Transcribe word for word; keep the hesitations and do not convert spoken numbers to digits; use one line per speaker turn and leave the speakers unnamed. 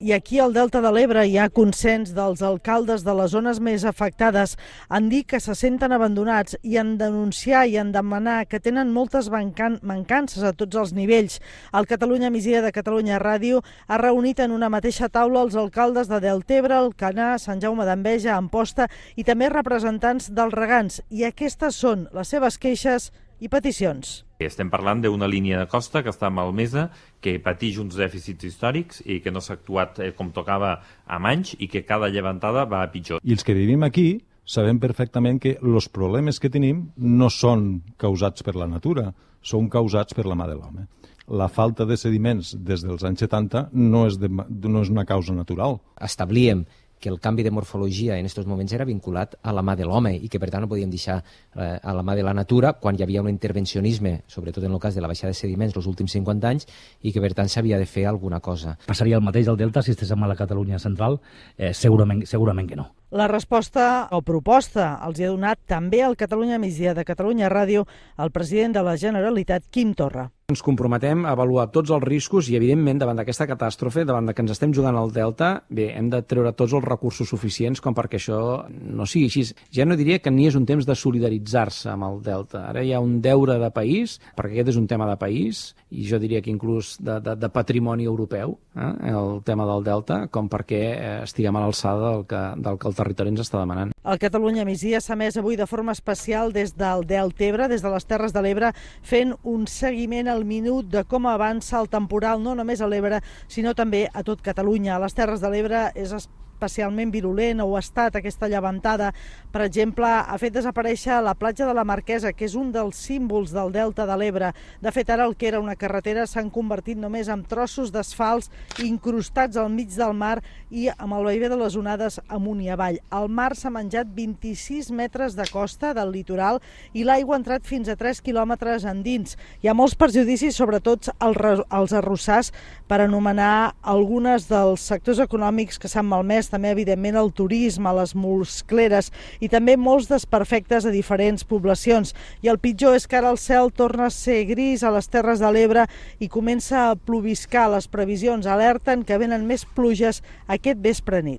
I aquí al Delta de l'Ebre hi ha consens dels alcaldes de les zones més afectades en dir que se senten abandonats i en denunciar i en demanar que tenen moltes mancan mancances a tots els nivells. El Catalunya Migdia de Catalunya Ràdio ha reunit en una mateixa taula els alcaldes de Deltebre, Alcanar, Sant Jaume d'Enveja, Amposta i també representants dels regants. I aquestes són les seves queixes i peticions.
Estem parlant d'una línia de costa que està malmesa, que pateix uns dèficits històrics i que no s'ha actuat com tocava amb anys i que cada llevantada va a pitjor.
I els que vivim aquí sabem perfectament que els problemes que tenim no són causats per la natura, són causats per la mà de l'home. La falta de sediments des dels anys setanta no és, de, no és una causa natural.
Establíem que el canvi de morfologia en aquests moments era vinculat a la mà de l'home i que per tant no podíem deixar eh, a la mà de la natura quan hi havia un intervencionisme, sobretot en el cas de la baixada de sediments els últims cinquanta anys, i que per tant s'havia de fer alguna cosa.
Passaria el mateix al Delta si estigués a la Catalunya central? Eh, segurament, segurament que no.
La resposta o proposta els hi ha donat també al Catalunya Migdia de Catalunya Ràdio el president de la Generalitat, Quim Torra.
Ens comprometem a avaluar tots els riscos i, evidentment, davant d'aquesta catàstrofe, davant de que ens estem jugant al Delta, bé, hem de treure tots els recursos suficients com perquè això no sigui així. Ja no diria que ni és un temps de solidaritzar-se amb el Delta. Ara hi ha un deure de país, perquè aquest és un tema de país, i jo diria que inclús de, de, de patrimoni europeu, eh, el tema del Delta, com perquè eh, estiguem a l'alçada del, que, del que el territori ens està demanant.
El Catalunya Migdia s'ha emès avui de forma especial des del Deltebre, des de les Terres de l'Ebre, fent un seguiment al minut de com avança el temporal, no només a l'Ebre, sinó també a tot Catalunya. A les Terres de l'Ebre és especialment virulent, o ha estat aquesta llevantada. Per exemple, ha fet desaparèixer la platja de la Marquesa, que és un dels símbols del Delta de l'Ebre. De fet, ara el que era una carretera s'han convertit només en trossos d'asfalts incrustats al mig del mar i amb el vaivé de les onades amunt i avall. El mar s'ha menjat vint-i-sis metres de costa del litoral i l'aigua ha entrat fins a tres quilòmetres endins. Hi ha molts perjudicis, sobretot als arrossars, per anomenar algunes dels sectors econòmics que s'han malmès, també evidentment el turisme, les muscleres i també molts desperfectes a diferents poblacions. I el pitjor és que ara el cel torna a ser gris a les Terres de l'Ebre i comença a ploviscar. Les previsions alerten que venen més pluges aquest vespre nit.